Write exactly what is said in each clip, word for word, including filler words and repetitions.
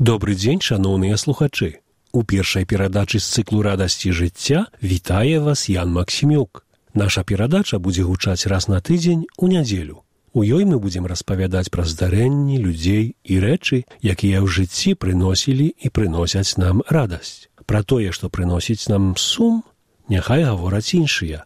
Добры дзень, шаноўныя слухачы. У першай перадачы з цыклу «Радасці жыцця» вітае вас Ян Максімюк. Наша перадача будзе гучаць раз на тыдзень у нядзелю. У ёй мы будзем распавядаць пра здарэнні, людзей і рэчы, якія ў жыцці прыносілі і прыносяць нам радасць. Пра тое, што прыносіць нам сум, няхай гавораць іншыя.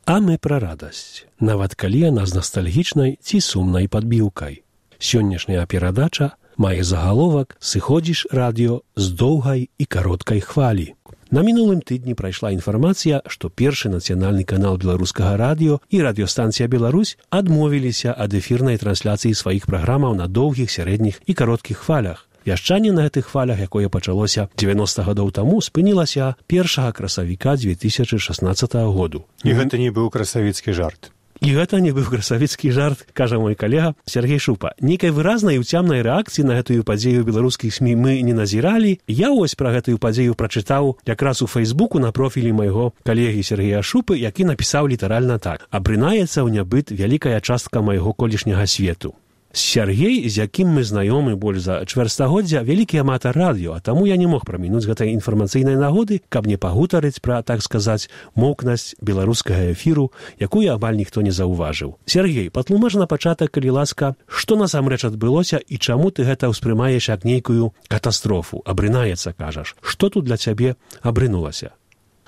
А мы пра радасць, нават калі яна з настальгічнай ці сумнай падбіўкай. Сённяшняя перадача мае загаловак «Сыходзіш радыё з доўгай і кароткай хвалі». На мінулым тыдні прайшла інфармацыя, што першы нацыянальны канал беларускага радыё і радыёстанцыя «Беларусь» адмовіліся ад эфірнай трансляцыі сваіх праграмаў на доўгіх, сярэдніх і кароткіх хвалях. Вяшчанне на гэтых хвалях, якое пачалося дзевяноста гадоў таму, спынілася першага красавіка дзве тысячы шаснаццатага году. І гэта не быў красавіцкі жарт. І гэта не быў красавіцкі жарт, кажа мой калега Сергей Шупа. Нейкай выразнай і ўцямнай рэакцыі на гэтую падзею беларускіх СМІ мы не назіралі. Я вось пра гэтую падзею прачытаў якраз у Фэйсбуку на профілі майго калегі Сергея Шупы, які напісаў літаральна так: «Абрынаецца ў нябыт вялікая частка майго колішняга свету». Сергей, з якім мы знаёмы больш за чвэрцьстагоддзя, вялікі аматар радыё, а таму я не мог прамінуць гэтай інфармацыйнай нагоды, каб не пагутарыць пра, так сказаць, моўкнасць беларускага эфіру, якую амаль ніхто не заўважыў. Сергей, патлумач на пачатак, калі ласка, што насамрэч адбылося і чаму ты гэта ўспрымаеш як нейкую катастрофу? Абрынаецца, кажаш. Што тут для цябе абрынулася?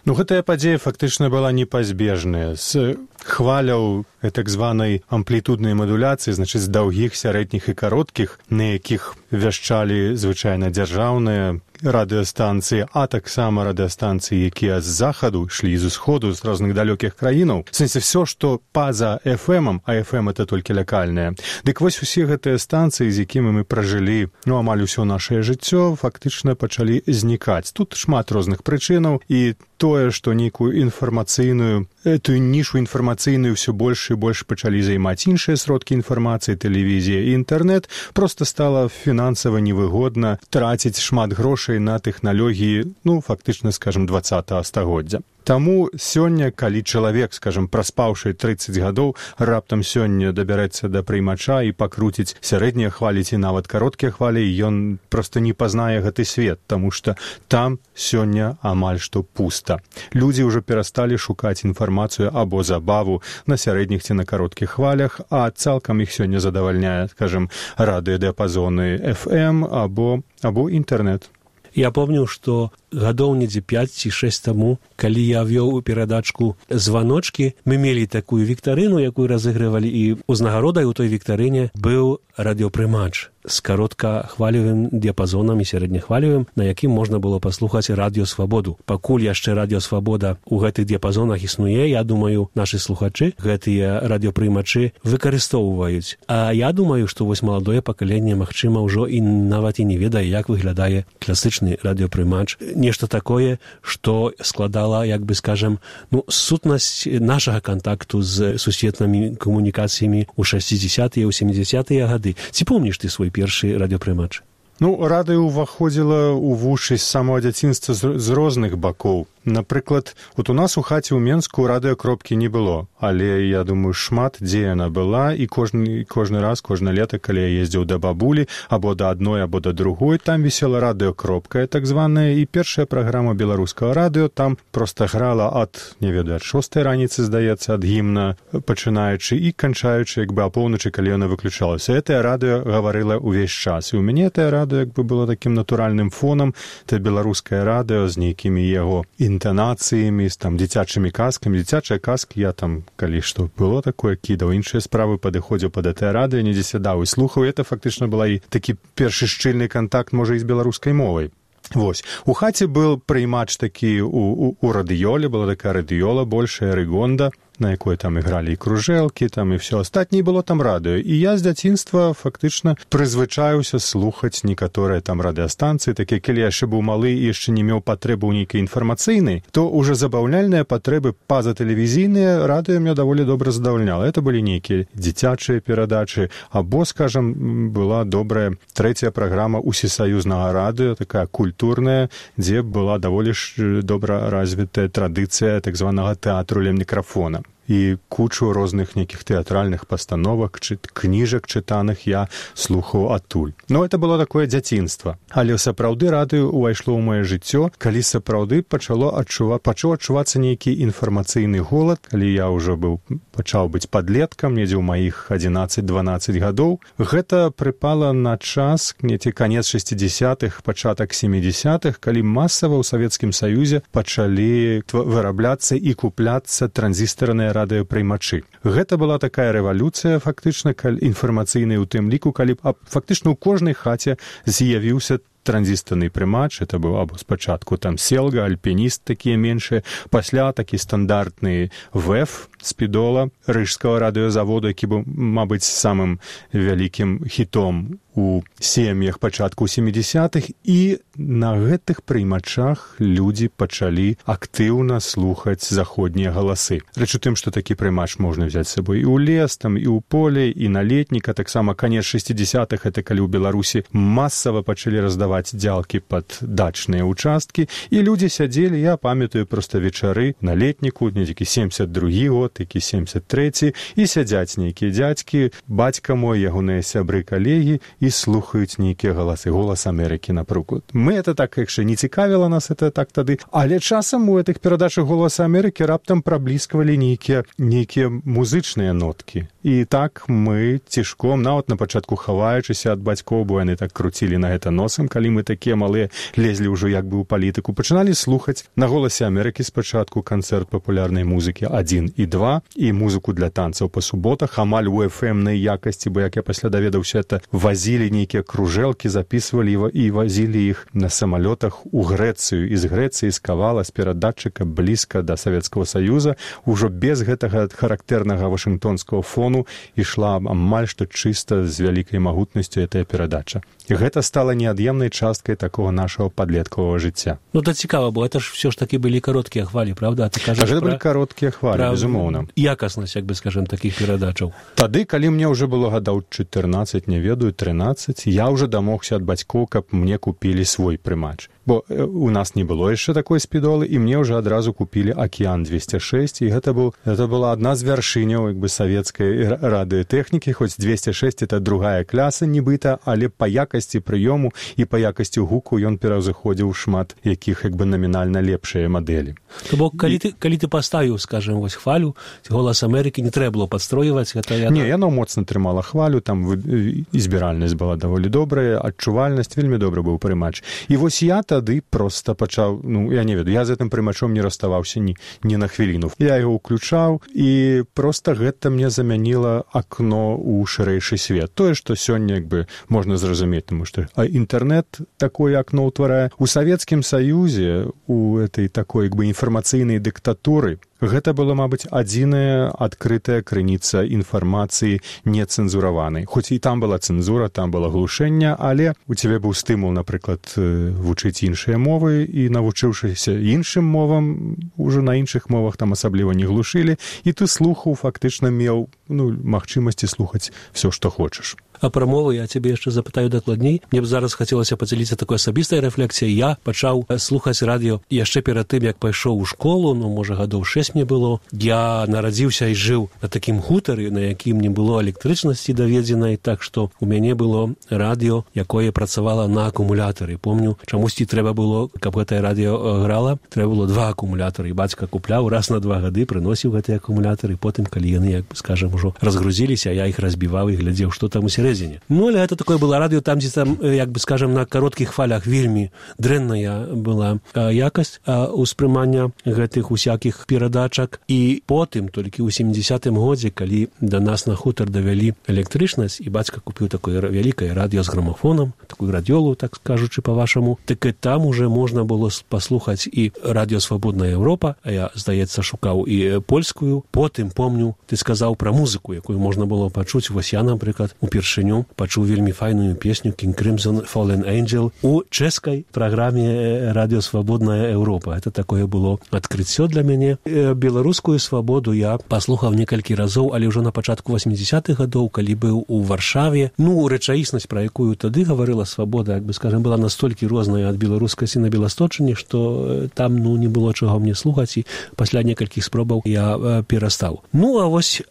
Ну, гэтая падзея фактычна была непазбежная. З хваляў так званай амплітуднай мадуляцыі, значыць, з даўгіх, сярэдніх і кароткіх, на якіх вяшчалі звычайна дзяржаўныя радыёстанцыі, а таксама радыёстанцыі, якія з захаду ішлі, з усходу, з розных далёкіх краінаў. В сэнсе, все, што па-за эф эм, а эф эм — это толькі лакальнае. Дык вось усе гэтыя станцыі, з якімі мы пражылі, ну, амаль усё нашае жыццё, фактычна пачалі знікаць. Тут шмат розных прычынаў, і тое, што нейкую інфармацыйную, эту нішу інфармацыйную ўсё больш і больш пачалі займаць іншыя сродкі інфармацыі, тэлевізія і інтэрнэт, проста стала фінансава невыгодна траціць шмат грошай на тэхналогіі, ну, фактычна, скажам, дваццатага стагоддзя. Таму сёння, калі чалавек, скажам, праспаўшы трыццаць гадоў, раптам сёння дабярэцца да прыймача і пакруціць сярэднія хвалі ці нават кароткія хвалі, ён проста не пазнае гэты свет, таму што там сёння амаль што пуста. Людзі ўжо перасталі шукаць інфармацыю або забаву на сярэдніх ці на кароткіх хвалях, а цалкам іх сёння задавальняе, скажам, радыёдыяпазоны эф эм або, або інтэрнэт. Я помню, што гадоў недзе пяць ці шэсць таму, калі я вёў у перадачку «Званочкі», мы мелі такую віктарыну, якую разыгрывалі, і ўзнагародай у той віктарыне быў радыёпрымач з кароткахвалевым дыяпазонам і сярэднехвалевым, на якім можна было паслухаць радыёсвабоду. Пакуль яшчэ радыёсвабода ў гэтых дыяпазонах існуе, я думаю, нашы слухачы гэтыя радыёпрымачы выкарыстоўваюць. А я думаю, што вось маладое пакаленне, магчыма, ўжо і нават і не ведае, як выглядае класычны радыёпрымач. Нешта такое, што складала, як бы скажам, ну, сутнасць нашага кантакту з сусветнымі камунікацыямі ў шэсцідзесятыя, ў сямідзесятыя гады. Ці помніш ты свой першы радыёпрымач? Ну, радыё ўваходзіла ў вушы з самого дзяцінства з, з розных бакоў. Напрыклад, вот у нас у хаце ў Менску радыёкропкі не было, але, я думаю, шмат дзе яна была, і кожны, кожны раз, кожна лета, калі я ездзіў да бабулі, або да адной, або да другой, там вісела радыёкропка, так званая, і першая праграма беларускага радыё там проста грала ад, не ведаю, ад шостай раніцы, здаецца, ад гімна, пачынаючы і канчаючы, як бы, апоўначы, калі яна выключалася. Гэтае радыё гаварыла ўвесь час, і ў мяне гэтае радыё, як бы, было такім натуральным фонам, это беларускае радыё з нейкімі яго інтанацыямі, з там дзіцячымі казкамі. Дзіцячыя казкі я там, калі што было такое, кідаў, іншыя справы, падыходзіў пад гэтае радыё, недзе сядаў і слухаў. Это фактычна была і такі першы шчыльны кантакт, можа, і з беларускай мовай. Вось. У хаце был прыймач такі у, у, у радыёле, была такая радыёла большая, рыгонда, на якой там ігралі і кружэлкі, там і все астатняе, было там радыё. І я з дзяцінства фактычна прызвычаюся слухаць некаторыя там радыёстанцыі, такія, калі я яшчэ быў малы і яшчэ не меў патрэбы ў нейкай інфармацыйнай, то ўжо забаўляльныя патрэбы па-за-тэлевізійныя радыё меня даволі добра задавальняла. Это былі нейкія дзіцячыя перадачы, або, скажам, была добрая трэцяя праграма усесаюзнага радыё, такая культурная, дзе была даволі ж добра развітая традыцыя так званага тэатру ля мікрафона. і кучу розных нейкіх тэатральных пастановак, чы, кніжак чытаных я слухаў адтуль. Ну, это было такое дзяцінства. Але сапраўды радыё ўвайшло ў мае жыццё, калі сапраўды пачало адчува... пачаў адчувацца нейкі інфармацыйны голад, калі я ўжо быў, пачаў быць падлеткам, недзе ў маіх адзінаццаць-дванаццаць гадоў. Гэта прыпала на час, недзе канец шэсцідзясятых, пачатак сямідзясятых, калі масава ў Савецкім Саюзе пачалі вырабляцца і купляцца транзістарныя радыёпрымачы. Гэта была такая рэвалюцыя, фактычна, інфармацыйная ў тым ліку, калі фактычна ў кожнай хаце з'явіўся транзістарны прымач, это быў або спачатку там Селга, Альпініст, такія меншыя, пасля такі стандартны ВЭФ Спідола, рыжскага радыёзаводу, які быў, мабыць, самым вялікім хітом у сем'ях пачатку сямідзясятых, і на гэтых прыймачах людзі пачалі актыўна слухаць заходнія галасы. Рэч у тым, што такі прыймач можна взяць з сабой і ў лес, там, і ў поле, і на летніка, таксама канец шэсцідзясятых, это калі ў Беларусі масава пачалі раздаваць дзялкі пад дачныя ўчасткі, і людзі сядзелі, я памятаю проста вечары на летніку, недзе семдзесят другі год, які семдзесят трэці, і сядзяць нейкія дзядзькі, бацька мой, ягоныя сябры, калегі, і слухаюць нейкія галасы, голас Амерыкі, напрыклад. Мы это так, яшчэ не цікавіла нас это так тады, але часам у гэтых перадачах голаса Амерыкі раптам прабліскавалі нейкія нейкія музычныя ноткі. І так мы цішком, нават на пачатку хаваючыся ад бацькоў, бо яны так круцілі на гэта носам, калі мы такія малыя лезлі ўжо як бы ў палітыку, пачыналі слухаць на голасе Амерыкі спачатку канцэрт папулярнай музыкі адзін і два, і музыку для танцаў па суботах, амаль у эф эм-най якасці, бо як я пасля даведаўся, это вазілі нейкія кружэлкі, записывалі і вазілі іх на самалётах у Грэцыю, і з Грэцыі з кавала, з перадатчыка блізка да Савецкага Саюза, ужо без гэтага характэрнага вашынгтонскага фону ішла амаль што чыста з вялікай магутнасцю гэтая перадача. І гэта стала неад'емнай часткай такого нашага падлеткавага жыцця. Ну, это цікава, бо это ж все ж таки былі кароткія хвалі, правда? А ты кажаш гэта пра... былі кароткія хвалі, пра... безумоўна. Якаснасць, як бы, скажем, такіх перадачаў. Тады, калі мне ўжо было гадоў чатырнаццаць, не ведаю, трынаццаць, я ўжо дамогся ад бацькоў, каб мне купілі свой прымач. Бо у нас не было яшчэ такой спідолы, і мне ўжо адразу купілі Акіян двести шесть, і гэта, быў, гэта была адна з вяршыняў, як бы, савецкай радыётэхнікі, хоць двести шесть это другая кляса, нібыта, але па якасці прыёму і па якасці гуку ён пераўзыходзіў шмат якіх, як бы, намінальна лепшыя мадэлі. То бок, калі, і... ты, калі ты паставіў, скажем, вось хвалю, голас Амерыкі, не трэба было падстройваць, гэта яна... Не, яно моцна трымала хвалю, там і збіральнасць была даволі добрая, адчувальнасць, вельмі добры быў прымач. І вось я тады проста пачаў, ну, я не ведаю, я з гэтым прымачом не раставаўся ні, ні на хвіліну. Я яго ўключаў, і проста гэта мне замяніла акно ў шырэйшы свет. Тое, што сёння, як бы, можна зразумець, тому што інтэрнэт такое акно ўтварае. У Савецкім Саюзе, у этой такой, як бы, інфармацыйнай дыктатуры, гэта была, мабыць, адзіная адкрытая крыніца інфармацыі нецэнзураванай. Хоць і там была цэнзура, там было глушэнне, але у цябе быў стымул, напрыклад, вучыць іншыя мовы, і навучыўшыся іншым мовам, ужо на іншых мовах там асабліва не глушылі, і ты слухаў, фактычна меў, ну, магчымасці слухаць все, што хочаш. А пра мову я цябе яшчэ запытаю дакладней. Мне б зараз хацелася падзяліцца такой асабістай рэфлексіяй. Я пачаў слухаць радыё яшчэ перад тым, як пайшоў у школу, ну, можа, гадоў шэсць мне было. Я нарадзіўся і жыў на такім хутары, на якім не было электрычнасці даведзенай, так што у мяне было радыё, якое працавала на акумулятары. Помню, чамусьці трэба было, каб гэтае радыё грала, трэба было два акумулятары. І бацька купляў раз на два гады, прыносіў гэтыя акумулятары, потым, калі яны, як бы, скажам, ужо разгрузіліся, я іх разбіваў і глядзеў, што там усярэдзіне. Ну, але гэта такое было радыё, там, дзе там, як бы, скажам, на кароткіх хвалях вельмі дрэнная была а, якасць а, успрымання гэтых усякіх перадачак. І потым, толькі ў сямідзясятым годзе, калі да нас на хутар давялі электрычнасць, і бацька купіў такое вялікае радыё з грамафонам, такую радыёлу, так скажучы па-вашаму, так і там уже можна было паслухаць і радыё «Свабодная Еўропа», а я, здаецца, шукаў і польскую. Потым, помню, ты сказаў пра музыку, якую можна было пачуць. Вось я, напрыклад, упершыню пачуў вельмі файную песню «King Crimson Fallen Angel» у чэшскай праграме «Радыё Свабодная Еўропа». Это такое было адкрыццё для мяне. беларускую свабоду я паслухаў некалькі разоў, але ўжо на пачатку восьмідзесятых гадоў, калі быў у Варшаве. Ну, рэчаіснасць, пра якую тады гаварыла свабода, як бы, скажем, была настолькі розная ад беларускасці на беласточыне, што там, ну, не было чаго мне слухаць, і пасля некалькіх спробаў я перастаў. Ну, а вось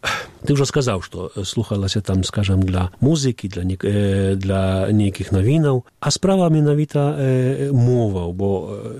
ты ўжо сказаў, што слухалася там, скажем, для музыкі, для, нек... для нейкіх навінаў, а справа менавіта э, моваў, бо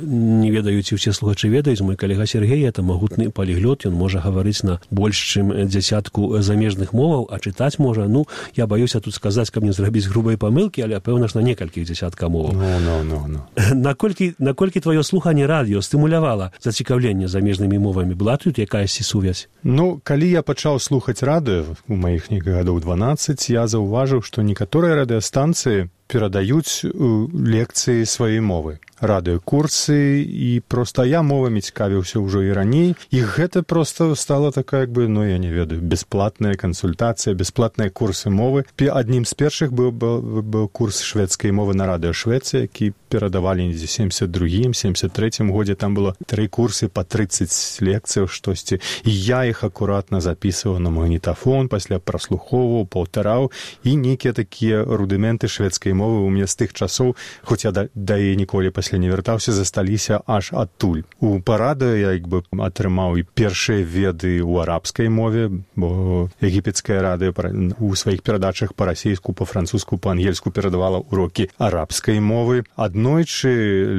не ведаюць, і ўсе слухачы ведаюць, мой калега Сергей, это магутны паліглот, ён можа гаварыць на больш чым дзясятку замежных моваў, а чытаць можа, ну, я баюся тут сказаць, каб не зрабіць грубай памылкі, але, пэўна ж, на некалькіх дзясятка моваў. No, no, no, no. Наколькі, наколькі твоё слуханне радыё стымулявала зацікаўленне замежнымі мовамі? Была тут якаясь сувязь? Ну, калі я пачаў слухаць радыё, у маіх некіх гадоў дванаццаць, я заўважыў, што некаторыя радыёстанцыі перадаюць лекцыі сваёй мовы, радыёкурсы, і проста я мовамі цікавіўся ўжо і раней, і гэта проста стала такая, як бы, ну, я не ведаю, бясплатная кансультацыя, бясплатныя курсы мовы. Аднім з першых быў, быў, быў курс шведскай мовы на радыё Швецыі, які перадавалі недзе семьдесят другім, семьдесят трэцім годзе, там было тры курсы па трыццаць лекцыяў штосьці, і я іх акуратна запісваў на магнітафон, пасля праслухоўваў, паўтараў, і нейкія такія рудыменты шведскай мовы у мяне з тых часоў, хоць я да, да яе ніколі пасля не вяртаўся, засталіся аж адтуль. У парадыё я, як бы, атрымаў і першыя веды ў арабскай мове, бо егіпецкае радыё у сваіх перадачах па-расейску, па-французску, па-ангельску перадавала урокі арабскай мовы. Аднойчы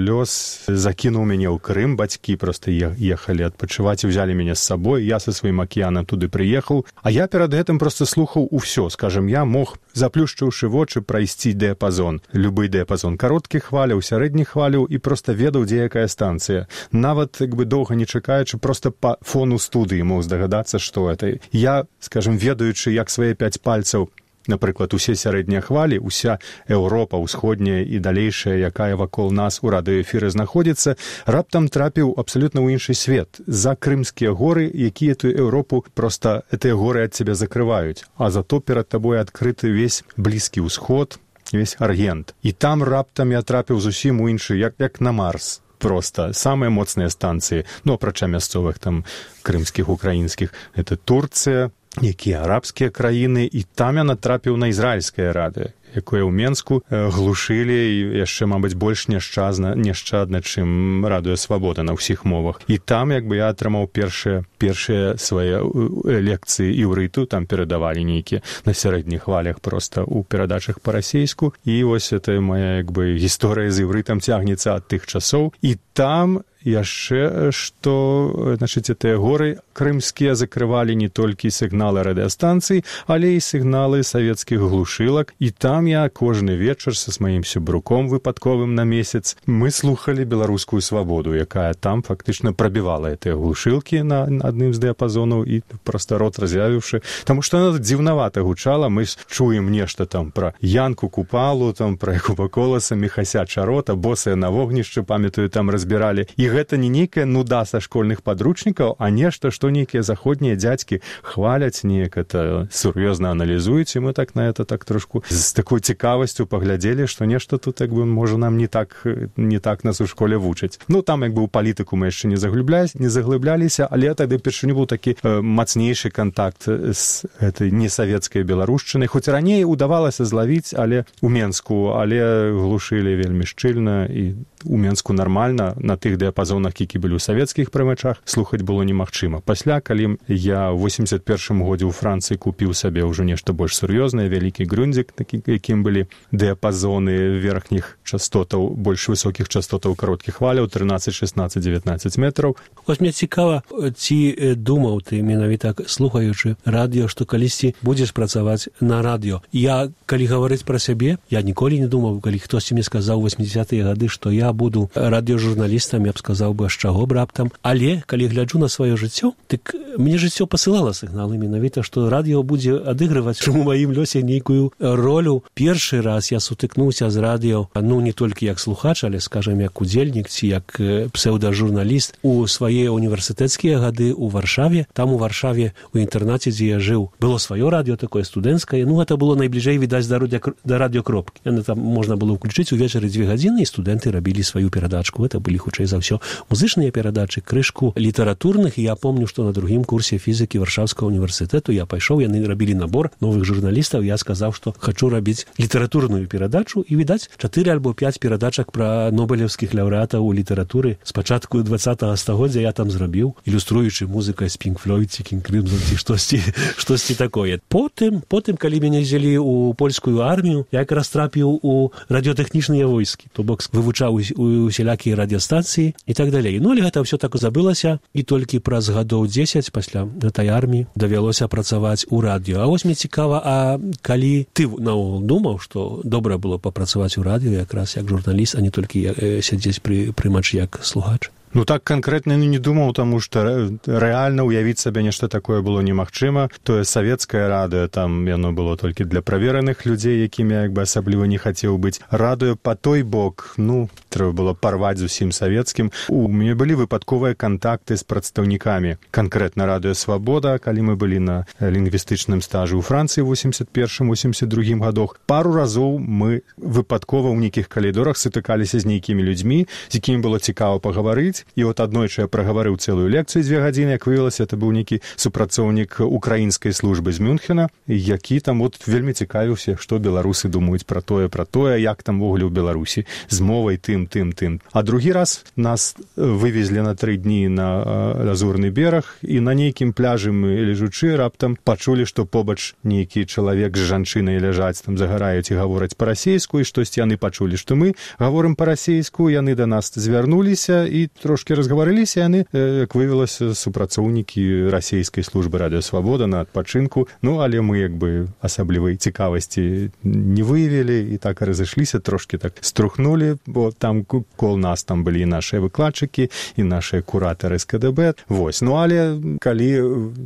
лёс закінуў мяне ў Крым, бацькі проста ехалі адпачываць і ўзялі мяне з сабой, я са сваім акіянам туды прыехаў, а я перад гэтым проста слухаў усё, скажем, я мог, заплюшчыўшы вочы, прайсці дыяпазон, любы дыяпазон кароткіх хваляў, сярэдніх хваляў, і проста ведаў, дзе якая станцыя. Нават, як бы, доўга не чакаючы, проста па фону студыі мог здагадацца, што гэта. Я, скажем, ведаючы, як свае пяць пальцаў, напрыклад, усе сярэднія хвалі, уся Еўропа ўсходняя і далейшая, якая вакол нас у радыёэфіры знаходзіцца, раптам трапіў абсалютна ў іншы свет. За крымскія горы, якія тую Еўропу проста гэтыя горы ад цябе закрываюць, а зато перад табой адкрыты весь Блізкі ўсход, весь Аргент. І там раптам я трапіў зусім у іншы, як, як на Марс. Проста самыя моцныя станцыі, ну, апрача мясцовых там крымскіх, украінскіх, это Турцыя, якія арабскія краіны, і там я натрапіў на ізраільскае радыё, якое ў Менску глушылі і яшчэ, мабыць, больш няшчадна, няшчадна, чым радыё Свабода на ўсіх мовах. І там, як бы, я атрымаў першыя, першыя свае лекцыі іўрыту, там перадавалі нейкія на сярэдніх хвалях проста ў перадачах па-расейску. І вось это моя, як бы, гісторыя з іўрытам цягнецца ад тых часоў. І там яшчэ, што, значыць, гэтыя горы крымскія закрывалі не толькі сігналы радыёстанцый, але і сігналы савецкіх глушылак. І там я кожны вечар са маім сябруком выпадковым на месяц мы слухалі беларускую свабоду, якая там фактычна прабівала гэтыя глушылкі на адным з дыяпазонаў, і проста рот разявіўшы, таму што яна дзіўнавата гучала. Мы чуем нешта там пра Янку Купалу, там пра Якуба Коласа, Міхася Чарота, босыя на вогнішчы, памятаю, там разбіралі. І гэта не нейкая нуда са школьных падручнікаў, а нешта, што нейкія заходнія дзядзькі хваляць, неяк это сур'ёзна аналізуюць, і мы так на это так трошку з такой цікавасцю паглядзелі, што нешта тут, як бы, можа, нам не так, не так нас у школе вучаць. Ну, там, як бы, у палітыку мы яшчэ не заглыблялись, не заглыбляліся, але тады першыню быў такі э, мацнейшы кантакт з гэтай несавецкай беларушчынай. Хоць раней удавалася злавіць, але у Менску, але глушылі вельмі шчыльна, і у Менску нармальна на тых дыяпазонах, які былі ў савецкіх прымачах, слухаць было немагчыма. Пасля, калі я ў восемьдесят першым годзе ў Францыі купіў сабе ўжо нешта больш сур'ёзнае, вялікі грундзік, такі, якім былі дыяпазоны верхніх частотаў, больш высокіх частотаў кароткіх хваляў, трынаццаць, шэснаццаць, дзевятнаццаць метраў. Вось мне цікава, ці думаў ты менавіта слухаючы радыё, што калісьці будзеш працаваць на радыё. Я, калі гаварыць пра сябе, я ніколі не думаў, калі хтосьці мне сказаў у восьмідзесятыя гады, што я буду радыёжурналістам, я б сказаў бы, з чаго б раптам. Але, калі гляджу на сваё жыццё, дык мне жыццё пасылала сігналы менавіта, што радыё будзе адыгрываць у маім лёсе нейкую ролю. Першы раз я сутыкнуўся з радыё, ну, не толькі як слухач, але, скажем, як удзельнік ці як псеўдажурналіст у свае універсітэцкія гады ў Варшаве. Там у Варшаве, у інтэрнаце, дзе я жыў, было сваё радыё, такое студэнцкае. Ну, гэта было найбліжэй, відаць, да радыёкропкі. Яны там можна было ўключыць увечары дзве гадзіны, і студэнты рабілі рабілі сваю перадачку. Это былі, хутчэй за ўсё, музычныя перадачы, крышку літаратурных. І я помню, што на другім курсе фізікі Варшаўскага універсітэту я пайшоў, яны рабілі набор новых журналістаў. Я сказаў, што хачу рабіць літаратурную перадачу, і, відаць, чатыры альбо пяць перадачак пра нобелеўскіх лаўрэатаў у літаратуры з пачатку двадцатага стагоддзя я там зрабіў, ілюструючы музыкай з Pink Floyd ці King Crimson ці штосьці, штосьці такое. Потым, потым, калі мяне взялі ў польскую армію, я якраз трапіў у радыётэхнічныя войскі, то бок вывучаў усялякія радыёстанцыі і так далей. Ну, але гэта ўсё так забылася, і толькі праз гадоў дзесяць пасля гэтай арміі давялося працаваць у радыё. А вось мне цікава, а калі ты наогул думаў, што добра было папрацаваць у радыё якраз як журналіст, а не толькі сядзець пры прымачы як слухач? Ну, так канкрэтна не думаў, таму што рэальна ўявіць сабе нешта такое было немагчыма. Тое савецкае радыё, там яно было толькі для правераных людзей, якімі я як бы асабліва не хацеў быць. Радыё па той бок, ну, трэба было парваць з усім савецкім. У мяне былі выпадковыя кантакты з прадстаўнікамі. Канкрэтна радыё «Свабода», калі мы былі на лінгвістычным стажы ў Францыі ў восемьдесят першым восемьдесят другім гадах. Пару разоў мы выпадкова ў нейкіх калідорах сутыкаліся з нейкімі людзьмі, з якімі было цікава пагаварыць. І от аднойчы я прагаварыў цэлую лекцыю дзве гадзіны, як выявілася, это быў нейкі супрацоўнік украінскай службы з Мюнхена, які там от вельмі цікавіўся, што беларусы думаюць пра тое, пра тое, як там вогуле ў Беларусі з мовай тым, тым, тым. А другі раз нас вывезлі на тры дні на Лазурны бераг, і на нейкім пляжы мы лежучы раптам пачулі, што побач нейкі чалавек з жанчынай ляжаць, там загараюць і гавораць па-расейску, і штосьці яны пачулі, што мы гаворым па-расейску, яны да нас звярнуліся і трошки разгаварыліся, яны, як выявілася, супрацоўнікі расійскай службы «Радыё Свабода» на адпачынку. Ну, але мы, як бы, асаблівай цікавасці не выявілі, і так разышліся, трошки так струхнулі, бо там кол нас там былі нашыя выкладчыкі і нашыя куратары з ка дэ бэ. Вось. Ну, але калі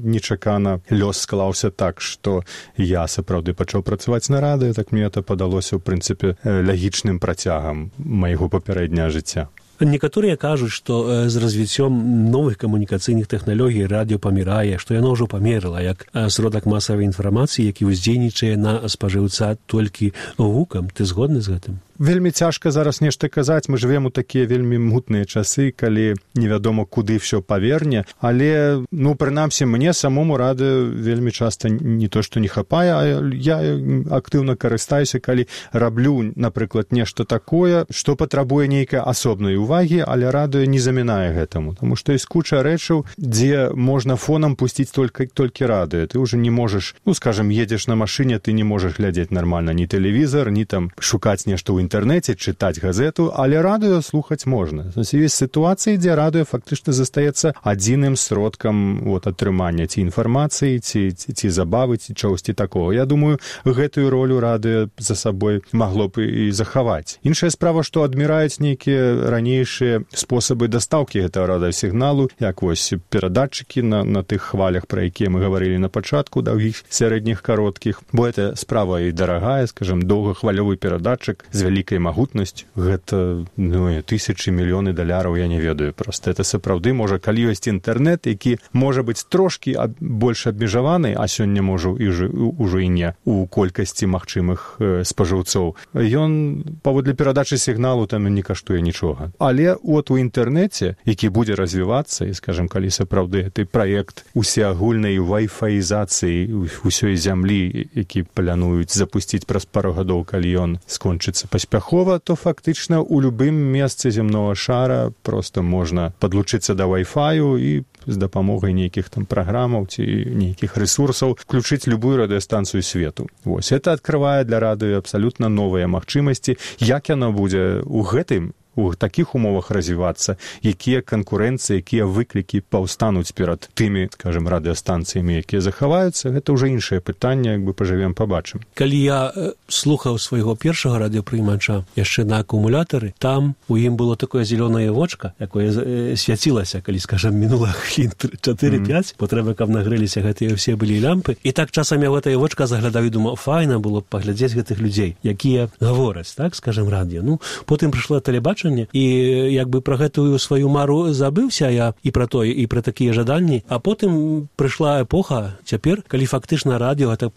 нечакана лёс склаўся так, што я сапраўды пачаў працаваць на радыё, так мне это падалося, ў прынцыпе, лагічным працягам майго папярэдняга жыцця. Некаторыя кажуць, што з развіццём новых камунікацыйных тэхналогій радыё памірае, што яно ўжо памерла як сродак масавай інфармацыі, які ўздзейнічае на спажыўца толькі гукам. Ты згодны з гэтым? Вельмі цяжка зараз нешта казаць, мы жывем у такія вельмі мутныя часы, калі невядома куды ўсё паверне, але, ну, прынамсі, мне самому радыё вельмі часта не то, што не хапае, а я актыўна карыстаюся, калі раблю, напрыклад, нешта такое, што патрабуе нейкай асобнай увагі, але радыё не замінае гэтаму, таму што ёсць куча рэчаў, дзе можна фонам пусціць толькі, толькі радыё. Ты ўжо не можаш, ну, скажам, едзеш на машыне, ты не можаш глядзець нармальна ні тэлевізар, ні там шукаць нешта ў інтэрнэце, чытаць газету, але радыё слухаць можна. Ёсць сітуацыі, дзе радыё фактычна застаецца адзіным сродкам вот, атрымання ці інфармацыі, ці, ці, ці забавы, ці чагосьці такого. Я думаю, гэтую ролю радыё за сабой магло б і захаваць. Іншая справа, што адміраюць нейкія ранейшыя спосабы дастаўкі гэтага радыёсігналу, як вось перадатчыкі на, на тых хвалях, пра якія мы гаварылі на пачатку, даўгіх, сярэдніх, кароткіх, бо гэта справа і дарагая, скажам, доўгахвалёвы перадатчык з вялікай магутнасцю, гэта, ну, тысячы, мільёны даляраў, я не ведаю. Проста это сапраўды, можа, калі ёсць інтэрнэт, які можа быць трошкі аб, больш абмежаваны, а сёння можа і ўжо і не у колькасці магчымых э, спажыўцоў. Ён паводле перадачы сігналу там не каштуе нічога. Але от у інтэрнэце, які будзе развівацца, і, скажам, калі сапраўды гэты праект усеагульнай вайфаізацыі ўсёй зямлі, які плануюць запусціць праз пару гадоў, калі ён скончыцца паспяхова, то фактычна ў любым месцы зямнога шара проста можна падлучыцца да вай-фаю і з дапамогай нейкіх там праграмаў ці нейкіх рэсурсаў включыць любую радыёстанцыю свету. Вось, это адкрывае для радыё абсалютна новыя магчымасці. Як яно будзе ў гэтым у такіх умовах развівацца, якія канкурэнцыі, якія выклікі паўстануць перад тымі, скажем, радыёстанцыямі, якія захаваюцца, гэта ўжо іншае пытанне, як бы пажывем, пабачым. Калі я э, слухаў свайго першага радыёпрыймача яшчэ на акумулятары, там у ім было такое зялёнае вочка, якое э, свяцілася, калі, скажем, мінула хвілін чатыры-пяць, mm. бо трэба, каб нагрэліся гэтыя ўсе былі лямпы. І так часам я гэтае вочка заглядаў і думаў, файна было б паглядзець гэтых людзей, якія гавораць, так, скажем, радыё. Ну, потым прыйшло тэлебачанне, тэлебачанне, і як бы пра гэтую сваю мару забыўся я і пра тое, і пра такія жаданні, а потым прыйшла эпоха цяпер, калі фактычна радыё гэта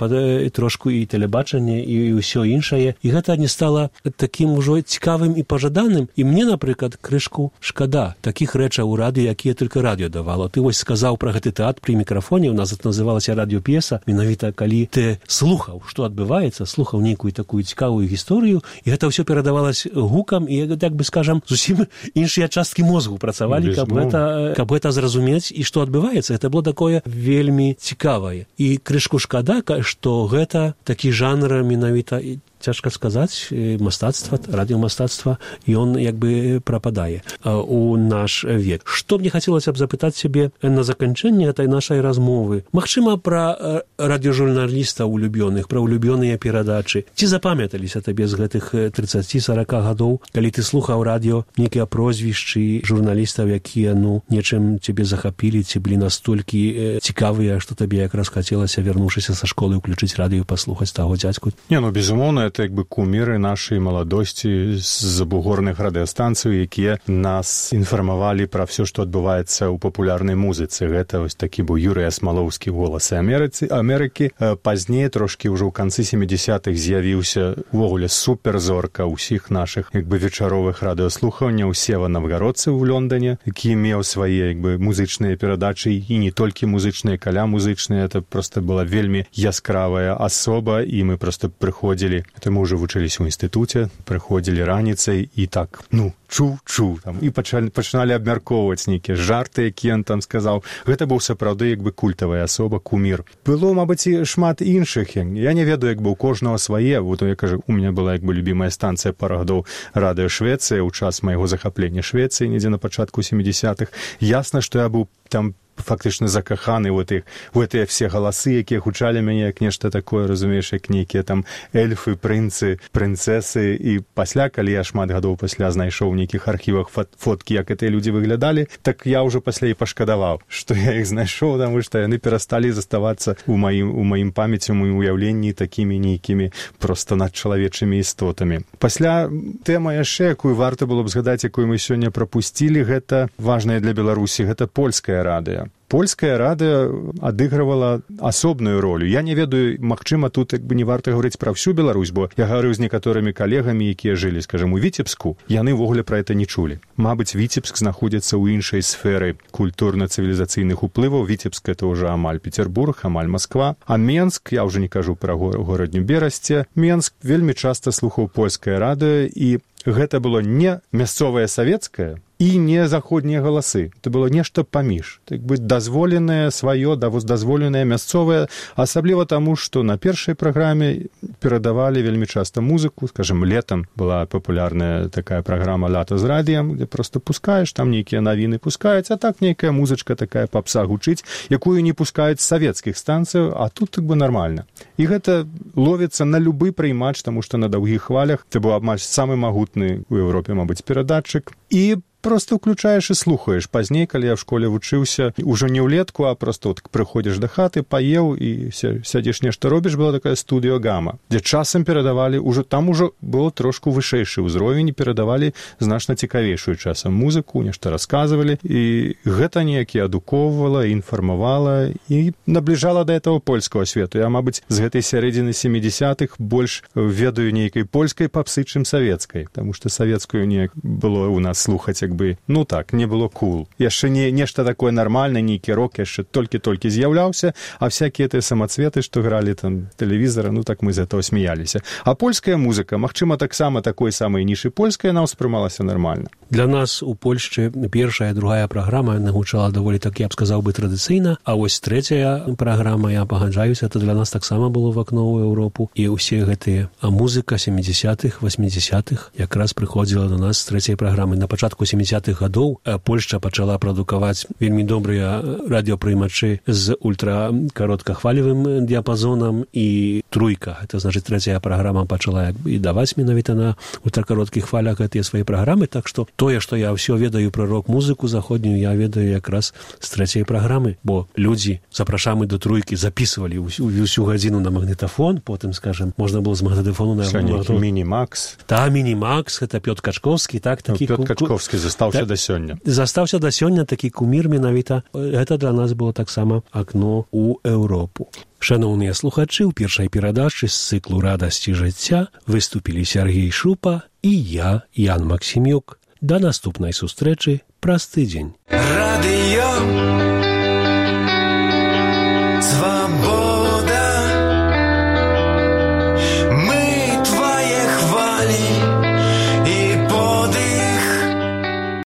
трошку і тэлебачанне і ўсё іншае, і гэта не стала такім ужо цікавым і пажаданым. І мне, напрыклад, крышку шкада такіх рэчаў у радыё, якія толькі радыё давало. Ты вось сказаў пра гэты тэатр пры мікрафоне, у нас это называлася радыёп'еса, менавіта калі ты слухаў, што адбываецца, слухаў нейкую такую цікавую гісторыю, і гэта ўсё перадавалось гукам, і, так бы скажам, зусім іншыя часткі мозгу працавалі, каб гэта, каб гэта зразумець, і што адбываецца. Гэта было такое вельмі цікавае. І крышку шкада, што гэта такі жанр менавіта, цяжка сказаць, мастацтва, радыёмастацтва, ён як бы прападае у наш век. Што мне хацелася б запытаць сябе на заканчэнне этой нашай размовы? Магчыма, пра радыёжурналістаў улюбёных, пра улюбёныя перадачы. Ці запамяталіся табе з гэтых трыццаць-сарок гадоў, калі ты слухаў радыё, нейкія прозвішчы журналістаў, якія, ну, нечым цябе захапілі, ці былі настолькі цікавыя, што табе якраз хацелася, вярнуўшыся са школы, ўключыць радыё, паслухаць таго дзядзьку? Не, ну, безумоўна, это як бы куміры нашай маладосці з забугорных радыёстанцый, якія нас інфармавалі пра ўсё, што адбываецца ў папулярнай музыцы. Гэта вось такі быў Юрый Асмалоўскі, голасы Амерыцы, Амерыкі. Пазней, трошкі ўжо ў канцы сямідзясятых з'явіўся увогуле суперзорка ўсіх нашых як бы вечаровых радыёслуханняў Сева Навгародцы ў Лондоне, які меў свае як бы музычныя перадачы, і не толькі музычныя, каля музычныя. Это проста была вельмі яскравая асоба, і мы проста прыходзілі. Это мы ўжо вучыліся ў інстытуце, прыходзілі раніцай і так, ну, чу-чу, там, і пачалі, пачыналі абмяркоўваць нейкія жарты, якія ён там сказаў. Гэта быў сапраўды як бы культавая асоба, кумір. Было, мабыць, і шмат іншых. Я не ведаю, як бы у кожнага свае. Вот я кажу, у меня была як бы любімая станцыя парагдоў радыё Швецыя ў час майго захаплення Швецыі, недзе на пачатку сямідзясятых. Ясна, што я быў там фактычна закаханы ў гэтых, у гэтыя все галасы, якія гучалі мяне як нешта такое, разумееш, як нейкія там эльфы, прынцы, прынцэсы. І пасля, калі я шмат гадоў пасля знайшоў у нейкіх архівах фоткі, як гэтыя людзі выглядалі, так я ўжо пасля і пашкадаваў, што я іх знайшоў, таму што яны перасталі заставацца ў маім, у маім памяці, у маім уяўленні такімі нейкімі проста надчалавечымі істотамі. Пасля тэма яшчэ, якую варта было б згадаць, якую мы сёння прапусцілі, гэта важная для Беларусі, гэта польскае радыё. Польская радыё адыгрывала асобную ролю. Я не ведаю, магчыма, тут як бы не варта гаварыць пра ўсю Беларусь, бо я гаварыў з некаторымі калегамі, якія жылі, скажем, у Віцебску, яны ўвогуле пра гэта не чулі. Мабыць, Віцебск знаходзіцца ў іншай сферы культурна-цывілізацыйных уплываў. Віцебск — это ўжо амаль Петербург, амаль Москва. А Менск, я ўжо не кажу пра горадню Берасце, Менск вельмі часта слухаў польскае радыё, і гэта было не мясцовае савецкае і не заходнія галасы. Это было нешта паміж. Так бы дазволенае сваё, дазволенае мясцовае, асабліва таму, што на першай праграме перадавалі вельмі часта музыку. Скажем, летом была папулярная такая праграма «Лата з радыем», где просто пускаеш, там нейкія навіны пускаюць, а так нейкая музычка такая папса гучыць, якую не пускаюць з савецкіх станцыяў, а тут так бы нармальна. І гэта ловіцца на любы прыймач, таму што на даўгіх хвалях это быў амаль самы магутны ў Еўропе, мабыць, перадатчык. І просто ўключаеш і слухаеш. Пазней, калі я в школе вучыўся, ужо не ўлетку, а просто вот прыходзіш да хаты, паеў і сядзеш нешта робіш, была такая студыё Гама, дзе часам перадавалі, ужо там ужо было трошку вышэйшы ўзровень, перадавалі значна цікавейшую часам музыку, нешта расказвалі, і гэта неяк і адукоўвала, інфармавала і набліжала да этого польскага свету. Я, мабыць, з гэтай сярэдзіны сямідзясятых больш ведаю нейкай польскай папсы, чым савецкай, таму што савецкую неяк было у нас слухаць, як бы, ну так, не было кул. Яшчэ не нешта такое нармальнае, нейкі рок яшчэ толькі-толькі з'яўляўся, а всякія тыя самацветы, што гралі там тэлевізара, ну так мы з этого смяяліся. А польская музыка, магчыма, таксама такой самай нішы польская, нам успрымалася нармальна. Для нас у Польшчы першая, другая праграма нагучала даволі так, я б сказаў бы, традыцыйна, а вось трэцяя праграма, я пагаджаюся, это для нас таксама было в акно ў Еўропу, і ўсе гэтыя музыка сямідзясятых, васьмідзясятых якраз прыходзіла до нас з трэцяй праграмы. На пачатку сямідзясятых сямідзясятых гадоў Польшча пачала прадукаваць вельмі добрыя радыёпрымачы з ультракароткахвалевым дыяпазонам, і труйка, это значыць трэцяя праграма пачала як бы і даваць менавіта на ультракароткіх хвалях гэтыя свае праграмы, так што тое, што я ўсё ведаю пра рок-музыку заходнюю, я ведаю якраз з трэцяй праграмы, бо людзі, запрашамы до труйкі, записывалі ўсю, ўсю гадзіну на магнітафон, потым, скажем, можна было з магнітафону на магнітафон. Міні-Макс. Та, Міні-Макс, гэта Пётр Качковскі, так, такі... Ну, Пётр Качковскі застаўся да сёння. Застаўся да сёння, такі кумір менавіта. Гэта для нас было таксама акно ў Еўропу. Шановныя слухачы, у першай перадачы з цыклу «Радасці жыцця» выступілі Сергей Шупа і я, Ян Максімюк. Да наступнай сустрэчы праз тыдзень. Радыё